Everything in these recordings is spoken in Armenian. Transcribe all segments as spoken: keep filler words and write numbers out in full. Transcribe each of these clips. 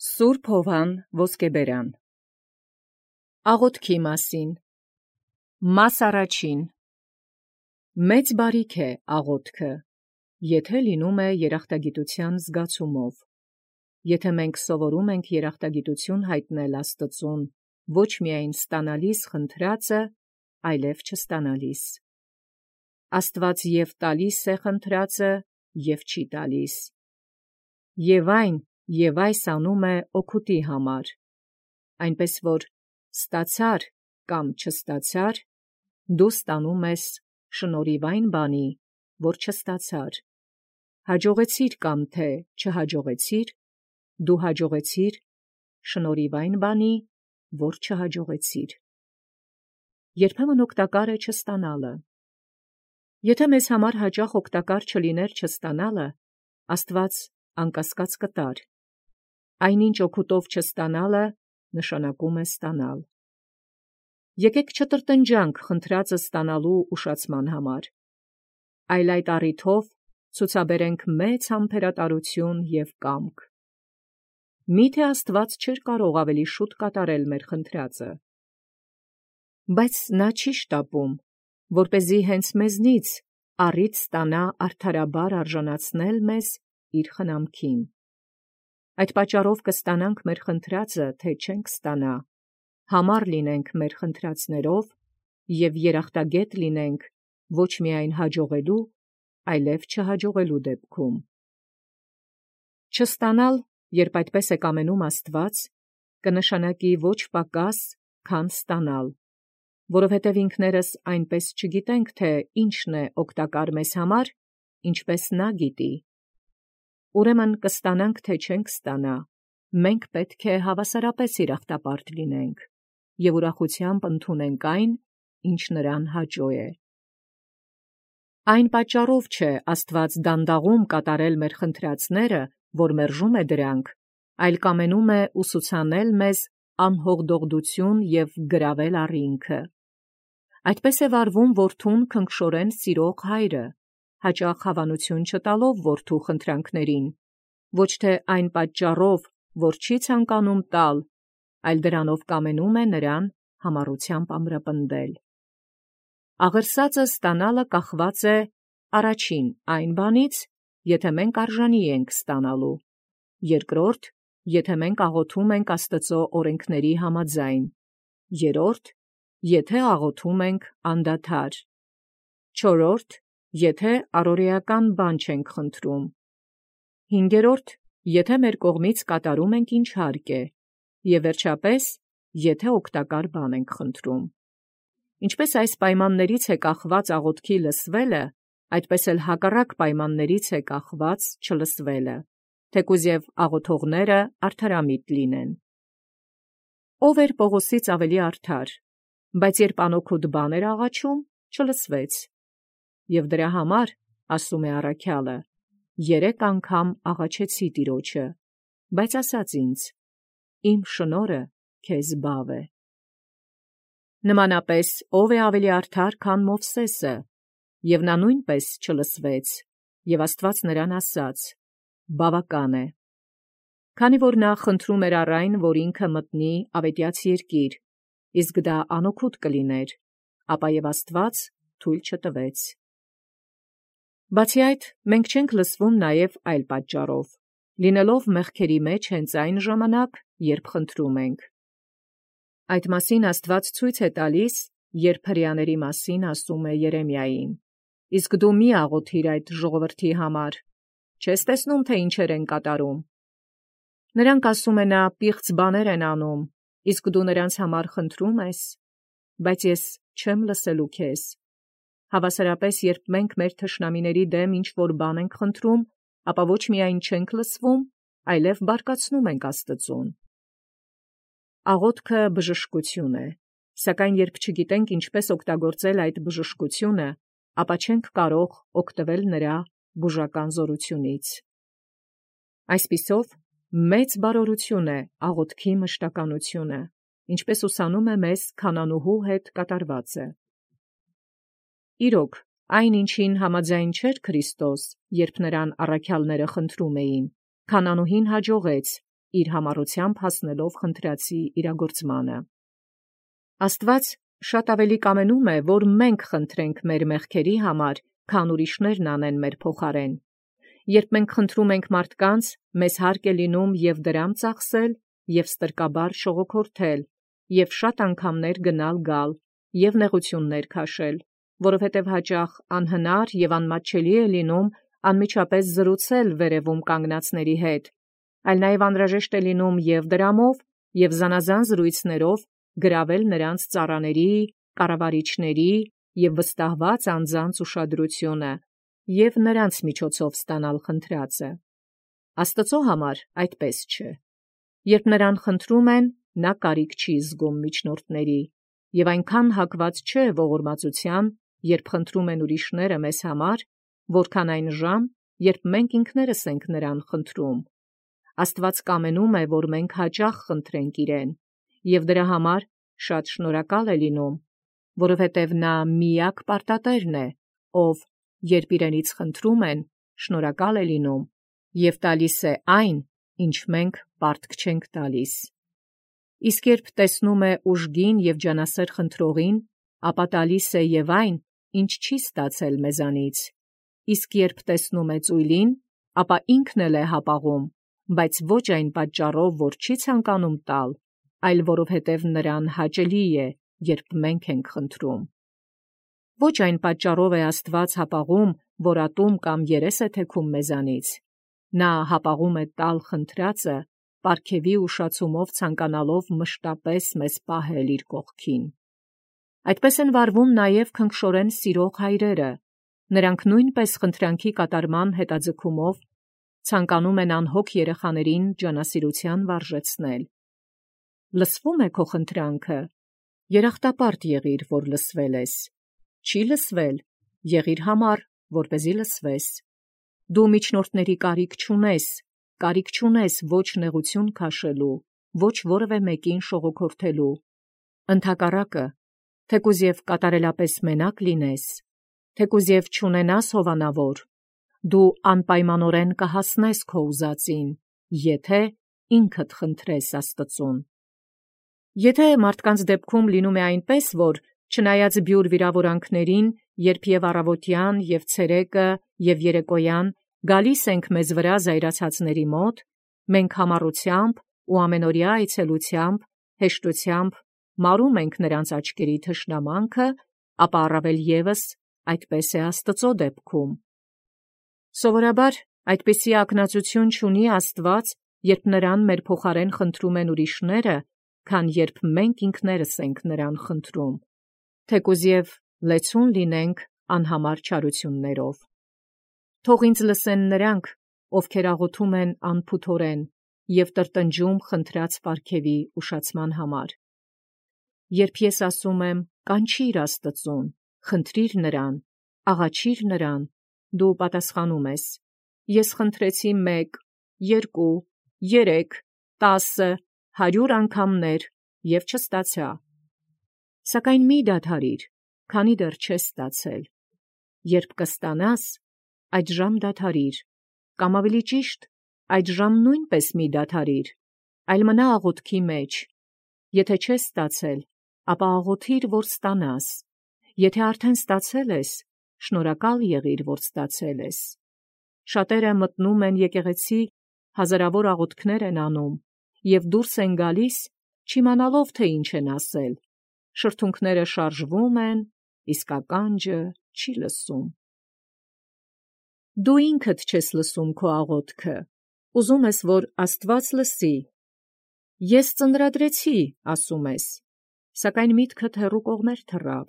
Սուրբ Հովհան Ոսկեբերան Աղոթքի մասին Մաս առաջին Մեծ բարիք է աղոթքը, եթե լինում է երախտագիտության զգացումով, եթե մենք սովորում ենք երախտագիտություն հայտնել Աստծուն, ոչ միայն ստանալիս խնդրածը, այլև չստանալիս։ Աստված և տալիս է խնդրածը, և չի տալիս։ Եվ այն, և այս անում է օգուտի համար, այնպես որ ստացար կամ չստացար, դու ստանում ես շնորհիվ այն բանի, որ չստացար, հաջողեցիր կամ թե չհաջողեցիր, դու հաջողեցիր շնորհիվ այն բանի, որ չհաջողեցիր։ Երբեմն օգտակար է չստանալը։ Եթե մեզ համար հաճախ օգտակար չլիներ չստանալը, Աստված անկասկած կտար։ Այնինչ օգուտով չստանալը նշանակում է ստանալ։ Եկեք չտրտնջանք խնդրածը ստանալու ուշացման համար, այլ այդ առիթով ցուցաբերենք մեծ համբերատարություն և կամք։ Միթե Աստված չէր կարող ավելի շուտ կատարել մեր խնդրածը։ Բայց նա չի շտապում, որպեսզի հենց մեզնից առիթ ստանա արդարաբար արժանացնել մեզ իր խնամքին։ Այդ պատճառով կստանանք մեր խնդրածը, թե չենք ստանա, համառ լինենք մեր խնդրածներով և երախտագետ լինենք ոչ միայն հաջողելու, այլև չհաջողելու դեպքում։ Չստանալ, երբ այդպես է կամենում Աստված, կնշանակի ոչ պակաս, քան ստանալ, որովհետև ինքներս այնպես չգիտենք, թե ինչն է օգտակար մեզ համար, ինչպես նա գիտի։ Ուրեմն կստանանք, թե չենք ստանա, մենք պետք է հավասարապես երախտապարտ լինենք և ուրախությամբ ընդունենք այն, ինչ նրան հաճո է։ Այն պատճառով չէ Աստված դանդաղում կատարել մեր խնդրածները, որ մերժում է դրանք, այլ կամենում է ուսուցանել մեզ անհողդողդություն և գրավել առինքը։ Այդպես է վարվում որդուն քնքշորեն սիրող հայրը, հաճախ հավանություն չտալով որդու խնդրանքներին, ոչ թե այն պատճառով, որ չի ցանկանում տալ, այլ դրանով կամենում է նրան համառությամբ ամրապնդել։ Աղերսածը ստանալը կախված է առաջին այն բանից, եթե մենք արժանի ենք ստանալու, երկրորդ, եթե մենք աղոթում ենք Աստծո օրենքների համաձայն, երրորդ, եթե աղոթում ենք անդադար, չորրորդ, եթե առօրեական բան չենք խնդրում, հինգերորդ, եթե մեր կողմից կատարում ենք ինչ հարկ է, և վերջապես, եթե օգտակար բան ենք խնդրում։ Ինչպես այս պայմաններից է կախված աղոթքի լսվելը, այդպես էլ հակառակ պայմաններից է կախված չլսվելը, թեկուզ և աղոթողները արդարամիտ լինեն։ Ով էր Պողոսից ավելի արդար, բայց երբ անօգուտ բան էր աղաչում, չլսվեց։ Եվ դրա համար, ասում է առաքյալը, երեք անգամ աղաչեցի Տիրոջը, բայց ասաց ինձ. իմ շնորհը քեզ բավ է։ Նմանապես ով է ավելի արդար, քան Մովսեսը, և նա նույնպես չլսվեց, և Աստված նրան ասաց. բավական է։ Քանի որ նա խնդրում էր առ այն, որ ինքը մտնի ավետյաց երկիր, իսկ դա անօգուտ կլիներ, ապա և Աստված թույլ չտվեց։ Բացի այդ, մենք չենք լսվում նաև այլ պատճառով, լինելով մեղքերի մեջ հենց այն ժամանակ, երբ խնդրում ենք։ Այդ մասին Աստված ցույց է տալիս, երբ հրեաների մասին ասում է Երեմիային. իսկ դու մի աղոթիր այդ ժողովրդի համար, չես տեսնում, թե ինչեր են կատարում։ Նրանք, ասում է նա, պիղծ բաներ են անում, իսկ դու նրանց համար խնդրում ես, բայց ես չեմ լսելու քեզ։ Հավասարապես, երբ մենք մեր թշնամիների դեմ ինչ-որ բան ենք խնդրում, ապա ոչ միայն չենք լսվում, այլև բարկացնում ենք Աստծուն։ Աղոթքը բժշկություն է, սակայն երբ չգիտենք ինչպես օգտագործել այդ բժշկությունը, ապա չենք կարող օգտվել նրա բուժական զորությունից։ Այսպիսով, մեծ բարօրություն է աղոթքի մշտականությունը, ինչպես ուսանում է մեզ քանանուհու հետ կատարվածը։ Իրոք, այն ինչին համաձայն չէր Քրիստոս, երբ նրան առաքյալները խնդրում էին, քանանուհին հաջողեց իր համառությամբ հասնելով խնդրածի իրագործմանը։ Աստուած շատ ավելի կամենում է, որ մենք խնդրենք մեր մեղքերի համար, քան ուրիշներն անեն մեր փոխարեն։ Երբ մենք խնդրում ենք մարդկանց, մեզ հարկ է լինում և դրամ ծախսել, և ստրկաբար շողոքորթել, և շատ անգամներ գնալ գալ, և նեղություններ քաշել, որովհետև հաճախ անհնար և անմատչելի է լինում անմիջապես զրուցել վերևում կանգնածների հետ, այլ նաև անհրաժեշտ է լինում և դրամով, և զանազան զրույցներով գրավել նրանց ծառաների, կառավարիչների և վստահված անձանց ուշադրությունը և նրանց միջոցով ստանալ խնդրածը։ Աստծո համար այդպես չէ։ Երբ նրան խնդրում են, նա կարիք չի զգում միջնորդների, և այնքան հակված չէ ողորմածության, երբ խնդրում են ուրիշները մեզ համար, որքան այն ժամ, երբ մենք ինքներս ենք նրան խնդրում։ Աստված կամենում է, որ մենք հաճախ խնդրենք իրեն, և դրա համար շատ շնորհակալ է լինում, որովհետև նա միակ պարտատերն է, ով, երբ իրենից խնդրում են, շնորհակալ է լինում և տալիս է այն, ինչ մենք պարտք չենք տալիս։ Իսկ երբ տեսնում է ուժգին և ջանասեր խնդրողին, ապա տալիս է և այն, ինչ չի ստացել մեզանից։ Իսկ երբ տեսնում է ծույլին, ապա ինքն էլ է հապաղում, բայց ոչ այն պատճառով, որ չի ցանկանում տալ, այլ որովհետև նրան հաճելի է, երբ մենք ենք խնդրում։ Ոչ այն պատճառով է Աստված հապաղում, որ ատում կամ երես է թեքում մեզանից։ Նա հապաղում է տալ խնդրածը, պարգևի ուշացումով ցանկանալով մշտապես մեզ պահել իր կողքին։ Այդպես են վարվում նաև քնքշորեն սիրող հայրերը։ Նրանք նույնպես խնդրանքի կատարման հետաձգումով ցանկանում են անհոգ երեխաներին ջանասիրության վարժեցնել։ Լսվում է քո խնդրանքը, երախտապարտ եղիր, որ լսվել ես։ Չի լսվել, եղիր համառ, որպեսզի լսվես։ Դու միջնորդների կարիք չունես, կարիք չունես ոչ նեղություն քաշելու, ոչ որևէ մեկին շողոքորթելու։ Ընդհակառակը, թեկուզ և կատարելապես մենակ լինես, թեկուզ և չունենաս հովանավոր, դու անպայմանորեն կհասնես քո ուզածին, եթե ինքդ խնդրես Աստծուն։ Եթե մարդկանց դեպքում լինում է այնպես, որ չնայած բյուր վիրավորանքներին, երբ և առավոտյան, և ցերեկը, և երեկոյան գալիս ենք մեզ վրա զայրացածների մոտ, մենք համառությամբ ու ամենօրյա այցելությամբ, հեշտությամբ մարում ենք նրանց աչքերի թշնամանքը, ապա առավել ևս այդպես է Աստծո դեպքում։ Սովորաբար այդպիսի ակնածություն չունի Աստված, երբ նրան մեր փոխարեն խնդրում են ուրիշները, քան երբ մենք ինքներս ենք նրան խնդրում, թեկուզ և լեցուն լինենք անհամար չարություններով։ Թող ինձ լսեն նրանք, ովքեր աղոթում են անփութորեն և տրտնջում խնդրած պարգևի ուշացման համար։ Երբ ես ասում եմ կանչիր Աստծուն, խնդրիր նրան, աղաչիր նրան, դու պատասխանում ես. ես խնդրեցի մեկ, երկու, երեք, տասը, հարյուր անգամներ և չստացա։ Սակայն մի դադարիր, քանի դեռ չես ստացել։ Երբ կստանաս, այդժամ դադարիր, կամ ավելի ճիշտ, այդժամ նույնպես մի դադարիր, այլ մնա աղոթքի մեջ։ Եթե չես ստացել, ապա աղոթիր, որ ստանաս։ Եթե արդեն ստացել ես, շնորհակալ եղիր, որ ստացել ես։ Շատերը մտնում են եկեղեցի, հազարավոր աղոթքներ են անում և դուրս են գալիս, չիմանալով, թե ինչ են ասել։ Շրթունքները շարժվում են, իսկ ականջը չի լսում։ Դու ինքդ չես լսում քո աղոթքը, ուզում ես, որ Աստված լսի։ Ես ծնրադրեցի, ասում ես, սակայն միտքդ հեռու կողմեր թռավ։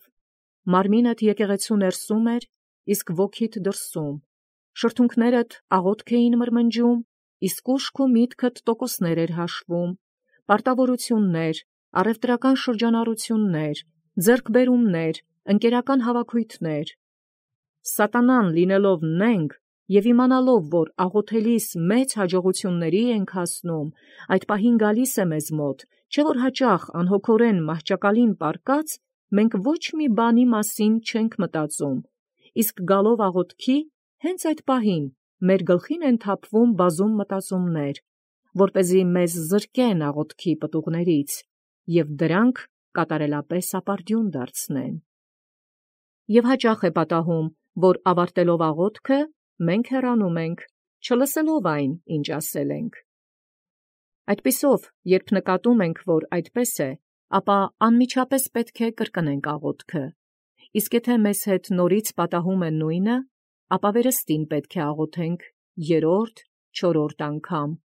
Մարմինդ եկեղեցու ներսում էր, իսկ ոգիդ դրսում։ Շրթունքներդ աղոթք էին մրմնջում, իսկ ուշք ու միտքդ տոկոսներ էր հաշվում, պարտավորություններ, առևտրական շրջանառություններ, ձեռքբերումներ, ընկերական հավաքույթներ։ Սատանան լինելով նենգ և իմանալով, որ աղոթելիս մեծ հաջողությունների ենք հասնում, այդ պահին գալիս է մեզ մոտ, չէ՞ որ հաճախ անհոգորեն մահճակալին պառկած, մենք ոչ մի բանի մասին չենք մտածում, իսկ գալով աղոթքի, հենց այդ պահին մեր գլխին են թափվում բազում մտածումներ, որպեսզի մեզ զրկեն աղոթքի պտուղներից և դրանք կատարելապես ապարդյուն դարձնեն։ Եվ հաճախ է պատահում, որ ավարտելով աղոթքը, մենք հեռանում ենք, չլսելով այն, ինչ ասել ենք։ Այդպիսով, երբ նկատում ենք, որ այդպես է, ապա անմիջապես պետք է կրկնենք աղոթքը, իսկ եթե մեզ հետ նորից պատահում է նույնը, ապա վերստին պետք է աղոթենք երրորդ, չորրորդ անգամ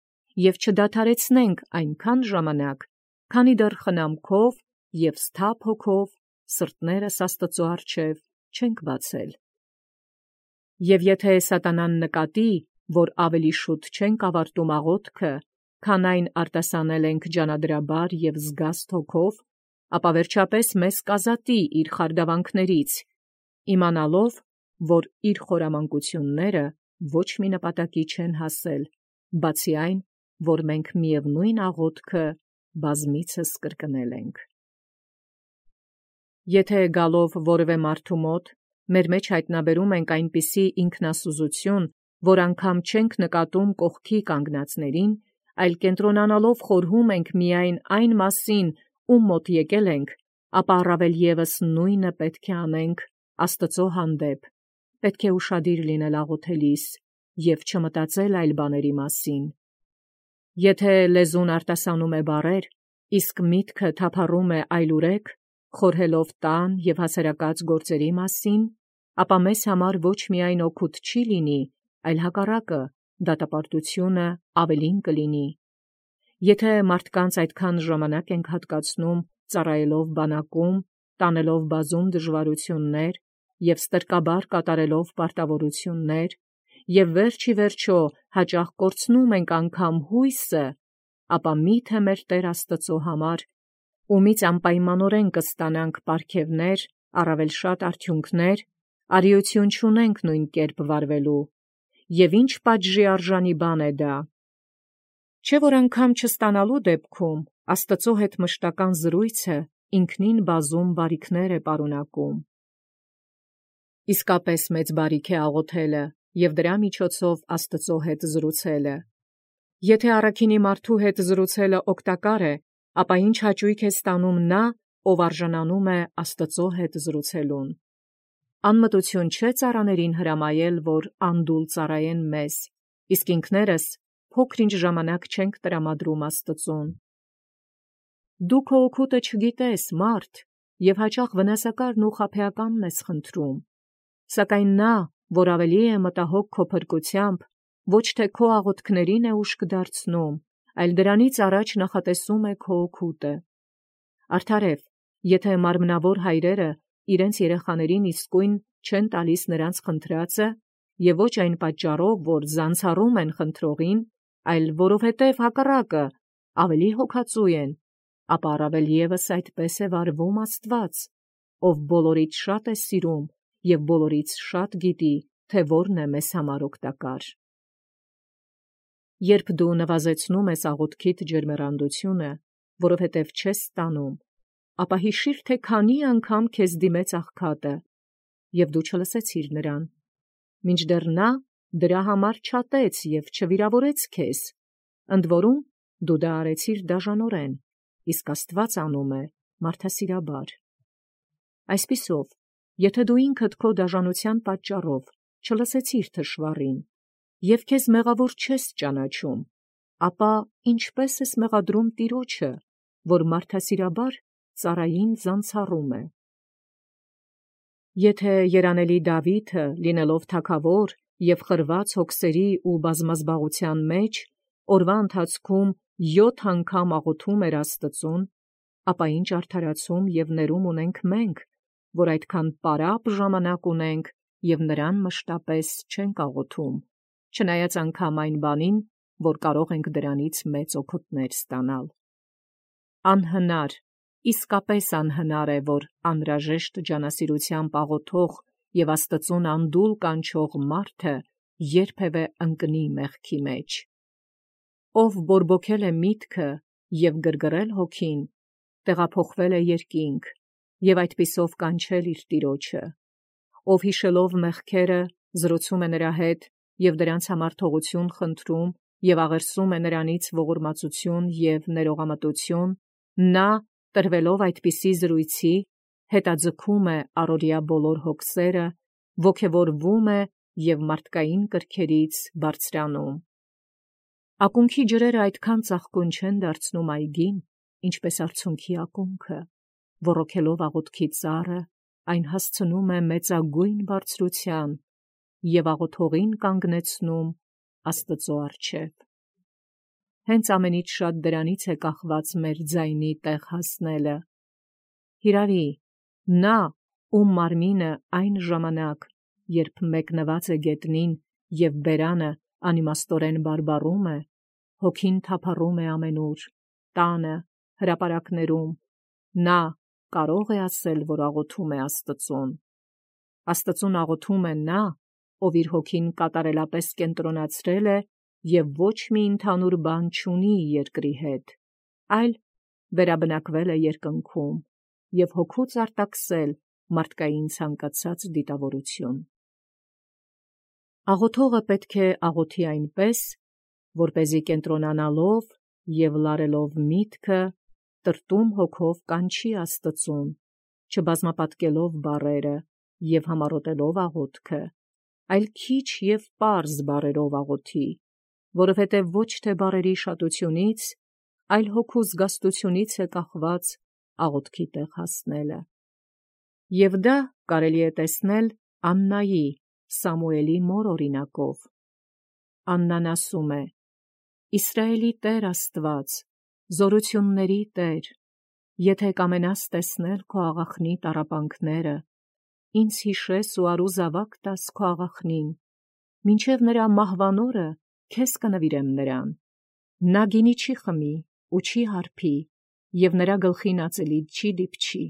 և չդադարեցնենք այնքան ժամանակ, քանի դեռ խնամքով և սթափ հոգով սրտներս Աստծո առջև չենք բացել։ Եվ եթե սատանան նկատի, որ ավելի շուտ չենք ավարտում աղոթքը, քան այն արտասանել ենք ջանադրաբար և զգաստ հոգով, ապա վերջապես մեզ կազատի իր խարդավանքներից, իմանալով, որ իր խորամանկությունները ոչ մի նպատակի չեն հասել, բացի այն, որ մենք միևնույն աղոթքը բազմիցս կրկնել ենք։ Եթե գալով որևէ մարդու մոտ, մեր մեջ հայտնաբերում ենք այնպիսի ինքնասուզություն, որ անգամ չենք նկատում կողքի կանգնածներին, այլ կենտրոնանալով խորհում ենք միայն այն մասին, ում մոտ եկել ենք, ապա առավել ևս նույնը պետք է անենք Աստծո հանդեպ, պետք է ուշադիր լինել աղոթելիս և չմտածել այլ բաների մասին։ Եթե լեզուն արտասանում է բառեր, իսկ միտքը թափառում է այլուրեք, խորհելով տան և հասարակած գործերի մասին, ապա մեզ համար ոչ միայն օգուտ չի լինի, այլ հակառակը, դատապարտությունը ավելին կլինի։ Եթե մարդկանց այդքան ժամանակ ենք հատկացնում ծառայելով բանակում, տանելով բազում դժվարություններ և ստրկաբար կատարելով պարտավորություններ, և վերջ ի վերջո հաճախ կորցնում ենք անգամ հույսը, ապա միթե մեր Տեր Աստծո համար, ումից անպայմանորեն կստանանք պարգևներ, առավել շատ արդյունքներ, արիություն չունենք նույն կերպ վարվելու, և ինչ պատժի արժանի բան է դա։ Չէ՞ որ անգամ չստանալու դեպքում Աստծո հետ մշտական զրույցը ինքնին բազում բարիքներ է պարունակում։ Իսկապես մեծ բարիք է աղոթելը և դրա միջոցով Աստծո հետ զրուցելը։ Եթե առաքինի մարդու հետ զրուցելը օգտակար է, ապա ինչ հաճույք է ստանում նա, ով արժանանում է Աստծո հետ զրուցելուն։ Անմտություն չէ ծառաներին հրամայել, որ անդուլ ծառայեն մեզ, իսկ ինքներս փոքր-ինչ ժամանակ չենք տրամադրում Աստծուն։ Դու քո օգուտը չգիտես, մարդ, և հաճախ վնասակարն ու խաբեականն ես խնդրում, սակայն նա, որ ավելի է մտահոգ քո փրկությամբ, ոչ թե քո աղոթքներին է ուշք դարձնում, այլ դրանից առաջ նախատեսում է քո օգուտը։ Արդարև, եթե մարմնավոր հայրերը իրենց երեխաներին իսկույն չեն տալիս նրանց խնդրածը, և ոչ այն պատճառով, որ զանցառում են խնդրողին, այլ որովհետև հակառակը ավելի հոգածու են, ապա առավել ևս այդպես է վարվում Աստված, ով բոլորից շատ է սիրում և բոլորից շատ գիտի, թե որն է մեզ համար օգտակար։ Երբ դու նվազեցնում ես աղոթքիդ ջերմեռանդությունը, որովհետև չես ստանում, ապա հիշիր, թե քանի անգամ քեզ դիմեց աղքատը, և դու չլսեցիր նրան, մինչդեռ նա դրա համար չատեց և չվիրավորեց քեզ, ընդ որում դու դա արեցիր դաժանորեն, իսկ Աստված անում է մարդասիրաբար։ Այսպիսով, եթե դու ինքդ քո դաժանության պատճառով չլսեցիր թշվառին, և քեզ մեղավոր չես ճանաչում, ապա ինչպե՞ս ես մեղադրում Տիրոջը, որ մարդասիրաբար ծառային զանցառում է։ Եթե երանելի Դավիթը, լինելով թագավոր և խրված հոգսերի ու բազմազբաղության մեջ, օրվա ընթացքում յոթ անգամ աղոթում էր Աստծուն, ապա ինչ արդարացում և ներում ունենք մենք, որ այդքան պարապ ժամանակ ունենք և նրան մշտապես չենք աղոթում, չնայած անգամ այն բանին, որ կարող ենք դրանից մեծ օգուտներ ստանալ։ Անհնար, իսկապես անհնար է, որ անհրաժեշտ ջանասիրությամբ աղոթող և Աստծուն անդուլ կանչող մարդը երբևէ ընկնի մեղքի մեջ։ Ով բորբոքել է միտքը և գրգռել հոգին, տեղափոխվել է երկինք և այդպիսով կանչել իր Տիրոջը, ով հիշելով մեղքերը զրուցում է նրա հետ և դրանց համար թողություն խնդրում և աղերսում է նրանից ողորմածություն և ներողամտություն, նա, տրվելով այդպիսի զրույցի, հետաձգում է առօրյա բոլոր հոգսերը, ոգևորվում է և մարդկային կրքերից բարձրանում։ Ակունքի ջրերը այդքան ծաղկուն չեն դարձնում այգին, ինչպես արցունքի ակունքը, ոռոգելով աղոթքի ծառը, այն հասցնում է մեծագույն բարձրության և աղոթողին կանգնեցնում Աստծո առջև։ Հենց ամենից շատ դրանից է կախված մեր ձայնի տեղ հասնելը։ Հիրավի, նա, ում մարմինը այն ժամանակ, երբ մեկնված է գետնին և բերանը անիմաստորեն բարբառում է, հոգին թափառում է ամենուր, տանը, հրապարակներում, նա կարո՞ղ է ասել, որ աղոթում է Աստծուն։ Աստծուն աղոթում է նա, ով իր հոգին կատարելապես կենտրոնացրել է և ոչ մի ընդհանուր բան չունի երկրի հետ, այլ վերաբնակվել է երկնքում և հոգուց արտաքսել մարդկային ցանկացած դիտավորություն։ Աղոթողը պետք է աղոթի այնպես, որպեսզի կենտրոնանալով և լարելով միտքը, տրտում հոգով կանչի Աստծուն, չբազմապատկելով բառերը և համառոտելով աղոթքը, այլ քիչ և պարզ բառերով աղոթի, որովհետև ոչ թե բառերի շատությունից, այլ հոգու զգաստությունից է կախված աղոթքի տեղ հասնելը։ Եվ դա կարելի է տեսնել Աննայի, Սամուելի մոր օրինակով։ Աննան ասում է. «Իսրայելի Տեր Աստված, զորությունների Տեր, եթե կամենաս տեսնել քո աղախնի տառապանքները, ինձ հիշես ու արու զավակ տաս քո աղախնին, մինչև նրա մահվան օրը քեզ կնվիրեմ նրան։ Նա գինի չի խմի ու չի հարբի, և նրա գլխին ածելիք չի դիպչի»։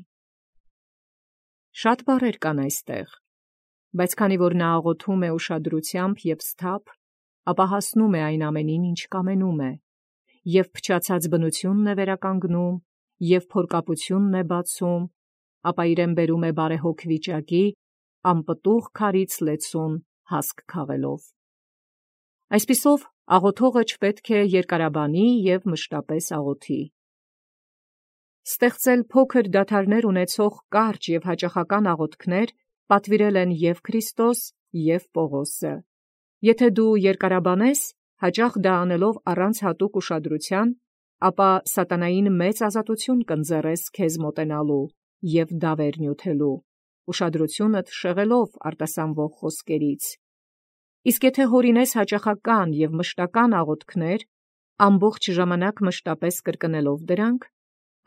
Շատ բառեր կան այստեղ, բայց քանի որ նա աղոթում է ուշադրությամբ և սթափ, ապա հասնում է այն ամենին, ինչ կամենում է, և փչացած բնությունն է վերականգնում, և փորկապությունն է բացում, ապա իրեն բերում է բարեհոգ վիճակի, անպտուղ քարից լեցուն հասկ քաղելով։ Այսպիսով, աղոթողը չպետք է երկարաբանի և մշտապես աղոթի։ Ստեղծել փոքր դադարներ ունեցող կարճ և հաճախական աղոթքներ պատվիրել են և Քրիստոս, և Պողոսը։ Եթե դու երկարաբանես, հաճախ դա անելով առանց հատուկ ուշադրության, ապա սատանային մեծ ազատություն կընձեռես քեզ մոտենալու և դավեր նյութելու, ուշադրությունդ շեղելով արտասանվող խոսքերից։ Իսկ եթե հորինես հաճախական և մշտական աղոթքներ, ամբողջ ժամանակ մշտապես կրկնելով դրանք,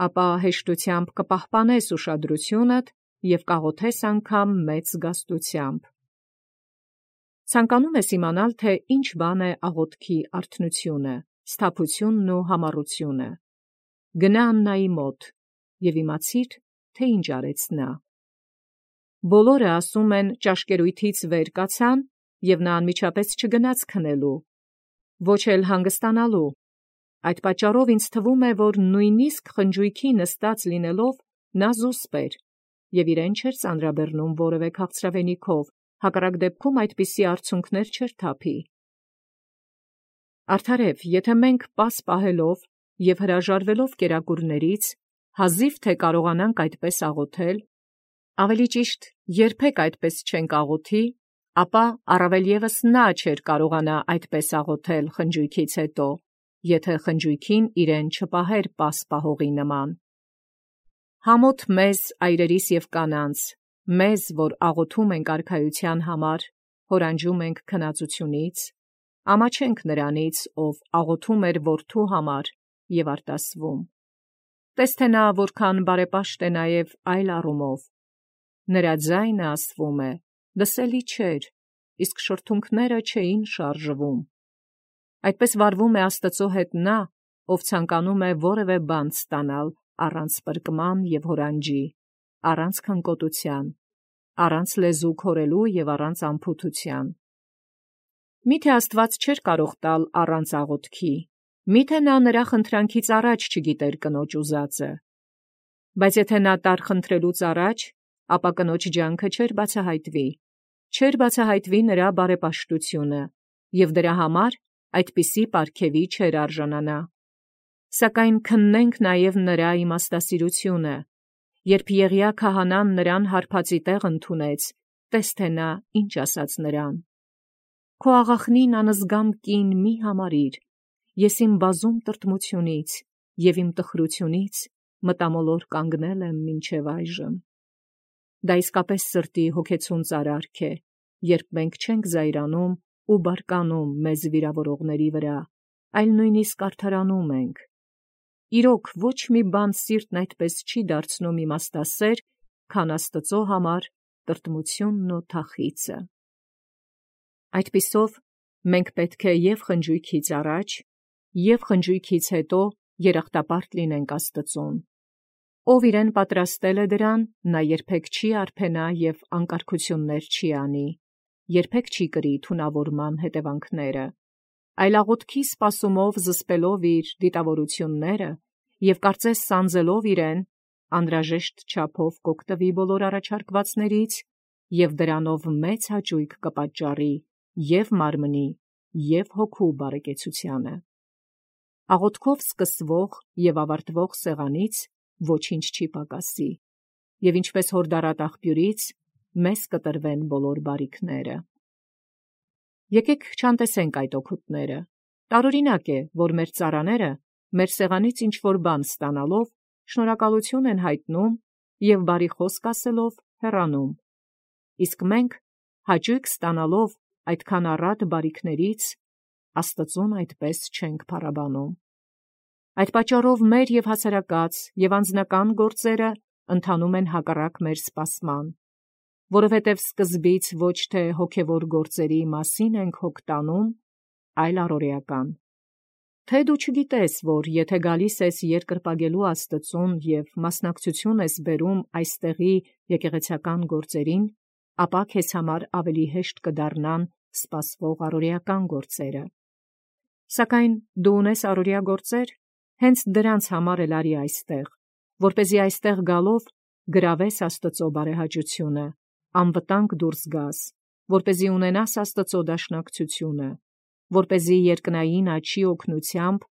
ապա հեշտությամբ կպահպանես ուշադրությունդ և կաղոթես անգամ մեծ զգաստությամբ։ Ցանկանում ես իմանալ, թե ինչ բան է աղոթքի արթնությունը, սթափությունն ու համառությունը։ Գնա Աննայի մոտ և իմացիր, թե ինչ արեց նա։ Բոլորը ասում են ճաշկերույթից վեր կացան, և նա անմիջապես չգնաց քնելու, ոչ էլ հանգստանալու։ Այդ պատճառով ինձ թվում է, որ նույնիսկ խնջույքի նստած լինելով նա զուսպ էր և իրեն չէր ծանրաբեռնում որևէ քաղցրավենիքով, հակառակ դեպքում այդպիսի արցունքներ չէր թափի։ Արդարև, եթե մենք պաս պահելով և հրաժարվելով կերակուրներից հազիվ թե կարողանանք այդպես աղոթել, ավելի ճիշտ երբեք այդպես չենք աղոթի, ապա առավել ևս նա չէր կարողանա այդպես աղոթել խնջույքից հետո, եթե խնջույքին իրեն չպահեր պաս պահողի նման։ Համոթ մեզ, այրերիս և կանանց, մեզ, որ աղոթում ենք արքայության համար, հորանջում ենք քնածությունից, ամաչենք նրանից, ով աղոթում էր որդու համար և արտասվում։ Տես թե նա որքան բարեպաշտ է նաև այլ առումով։ Նրա ձայնը, ասվում է, լսելի չէր, իսկ շրթունքները չէին շարժվում։ Այդպես վարվում է Աստծո հետ նա, ով ցանկանում է որևէ բան ստանալ առանց պրկման և հորանջի, առանց քնկոտության, առանց լեզու քորելու և առանց անփութության։ Մի՞թե Աստված չէր կարող տալ առանց աղոթքի, մի՞թե նա նրա խնդրանքից առաջ չգիտեր կնոջ ուզածը։ Բայց եթե նա տար խնդրելուց առաջ, ապա կնոջ ջանքը չէր բացահայտվի, չէր բացահայտվի նրա բարեպաշտությունը, և դրա համար այդպիսի պարգևի չէր արժանանա։ Սակայն քննենք նաև նրա իմաստասիրությունը, երբ Եղիա քահանան նրան հարբածի տեղ ընդունեց, տես թե նա ինչ ասաց նրան. «Քո աղախնին անզգամ կին մի համարիր, ես իմ բազում տրտմությունից և իմ տխրությունից մտամոլոր կանգնել եմ մինչև այժմ»։ Դա իսկապես սրտի հոգեցուն արարք է, երբ մենք չենք զայրանում ու բարկանում մեզ վիրավորողների վրա, այլ նույնիսկ արդարանում ենք։ Իրոք ոչ մի բան սիրտն այդպես չի դարձնում իմաստասեր, քան Աստծո համար տրտմությունն ու թախիծը։ Այդպիսով մենք պետք է և խնջույքից առաջ, և խնջույքից հետո երախտապարտ լինենք Աստծուն։ Ով իրեն պատրաստել է դրան, նա երբեք չի արբենա և անկարգություններ չի անի, երբեք չի կրի թունավորման հետևանքները, այլ աղոթքի սպասումով զսպելով իր դիտավորությունները և կարծես սանձելով իրեն, անհրաժեշտ չափով կօգտվի բոլոր առաջարկվածներից և դրանով մեծ հաճույք կպատճառի և մարմնի, և հոգու բարեկեցությանը։ Աղոթքով սկսվող և ավարտվող սեղանից ոչինչ չի պակասի, և ինչպես հորդառատ աղբյուրից մեզ կտրվեն բոլոր բարիքները։ Եկեք չանտեսենք այդ օգուտները։ Տարօրինակ է, որ մեր ծառաները մեր սեղանից ինչ-որ բան ստանալով շնորհակալություն են հայտնում և բարի խոսք ասելով հեռանում, իսկ մենք հաճույք ստանալով այդքան առատ բարիքներից Աստծուն այդպես չենք փառաբանում։ Այդ պատճառով մեր և հասարակած և անձնական գործերը ընթանում են հակառակ մեր սպասման, որովհետև սկզբից ոչ թե հոգևոր գործերի մասին ենք հոգ տանում, այլ առօրեական։ Թե դու չգիտես, որ եթե գալիս ես երկրպագելու Աստծուն և մասնակցություն ես բերում այստեղի եկեղեցական գործերին, ապա քեզ համար ավելի հեշտ կդառնան սպասվող առօրեական գործերը։ Սակայն դու ունես առօրյա գործեր, հենց դրանց համար էլ արի այստեղ, որպեսզի այստեղ գալով գրավես Աստծո բարեհաճությունը, անվտանգ դուրս գաս, որպեսզի ունենաս Աստծո դաշնակցությունը, որպեսզի երկնային աջի օգնությամբ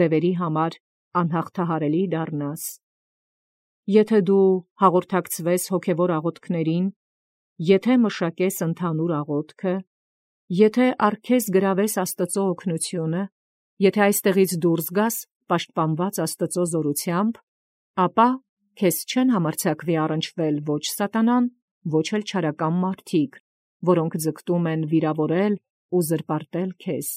դևերի համար անհաղթահարելի դառնաս։ Եթե դու հաղորդակցվես հոգևոր աղոթքներին, եթե մշակես ընդհանուր աղոթքը, եթե առ քեզ գրավես Աստծո օգնությունը, եթե այստեղից դուրս գաս պաշտպանված Աստծո զորությամբ, ապա քեզ չեն համարձակվի առնչվել ոչ սատանան, ոչ էլ չարական մարդիկ, որոնք ձգտում են վիրավորել ու զրպարտել քեզ։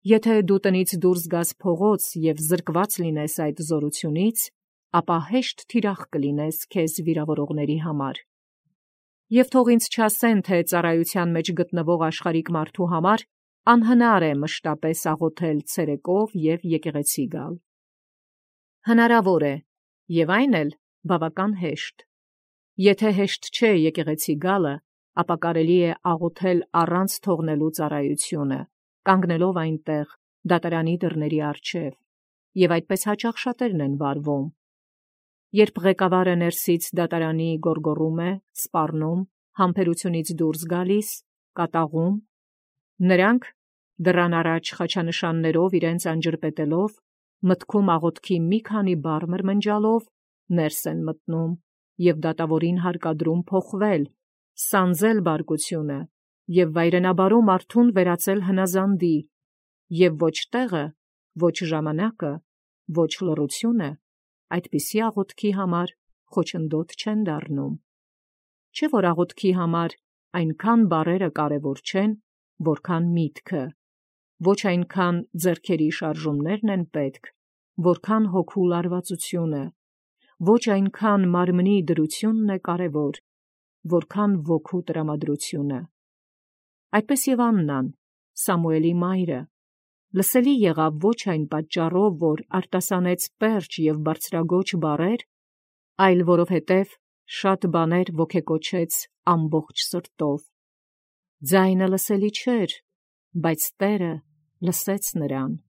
Եթե դու տնից դուրս գաս փողոց և զրկված լինես այդ զորությունից, ապա հեշտ թիրախ կլինես քեզ վիրավորողների համար։ Եվ թող ինձ չասեն, թե ծառայության մեջ գտնվող աշխարհիկ մարդու համար անհնար է մշտապես աղոթել ցերեկով և եկեղեցի գալ։ Հնարավոր է, և այն էլ բավական հեշտ։ Եթե հեշտ չէ եկեղեցի գալը, ապա կարելի է աղոթել առանց թողնելու ծառայությունը, կանգնելով այնտեղ դատարանի դռների առջև, և այդպես հաճախ շատերն են վարվում։ Երբ ղեկավարը ներսից դատարանի գոռգոռում է, սպառնում, համբերությունից դուրս գալիս, կատաղում, նրանք դռան առաջ խաչանշաններով իրենց անջրպետելով, մտքում աղոթքի մի քանի բառ մրմնջալով, ներս են մտնում և դատավորին հարկադրում փոխվել, սանձել բարկությունը և վայրենաբարո մարդուն վերածել հնազանդի, և ոչ տեղը, ոչ ժամանակը, ոչ լռությունը այդպիսի աղոթքի համար խոչընդոտ չեն դառնում։ Չէ՞ որ աղոթքի համար այնքան բառերը կարևոր չեն, որքան միտքը, ոչ այնքան ձեռքերի շարժումներն են պետք, որքան հոգու լարվածությունը, ոչ այնքան մարմնի դրությունն է կարևոր, որքան ոգու տրամադրությունը։ Այդպես և Աննան, Սամուելի մայրը, լսելի եղավ ոչ այն պատճառով, որ արտասանեց պերճ և բարձրագոչ բառեր, այլ որովհետև շատ բաներ ոգեկոչեց ամբողջ սրտով։ Ձայնը լսելի չէր, բայց Տերը լսեց նրան։